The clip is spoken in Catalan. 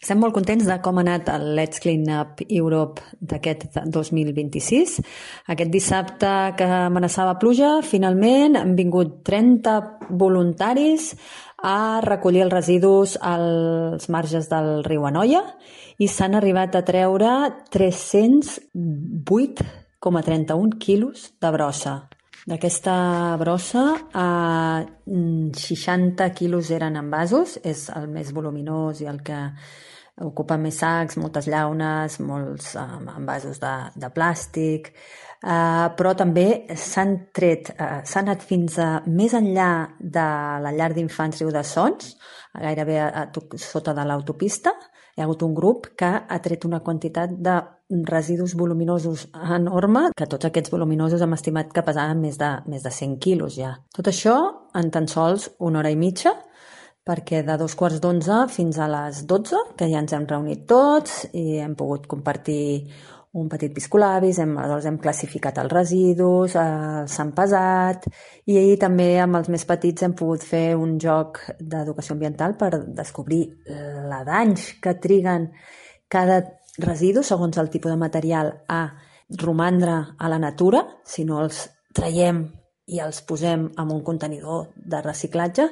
Estem molt contents de com ha anat el Let's Clean Up Europe d'aquest 2026. Aquest dissabte que amenaçava pluja, finalment han vingut 30 voluntaris a recollir els residus als marges del riu Anoia i s'han arribat a treure 308,31 quilos de brossa. D'aquesta brossa, 60 quilos eren envasos, és el més voluminós i el que ocupa més sacs, moltes llaunes, molts envasos de plàstic, però també s'han anat fins més enllà de la llar d'infants Riu de Sons, gairebé sota de l'autopista. Hi ha hagut un grup que ha tret una quantitat de residus voluminosos enorme, que tots aquests voluminosos hem estimat que pesaven més de 100 quilos ja. Tot això en tan sols una hora i mitja, perquè de 2:15 fins a les 12, que ja ens hem reunit tots i hem pogut compartir un petit piscolabis, aleshores hem classificat els residus, s'han pesat, i ahir també amb els més petits hem pogut fer un joc d'educació ambiental per descobrir la danys que triguen cada residu segons el tipus de material a romandre a la natura, si no els traiem i els posem en un contenidor de reciclatge,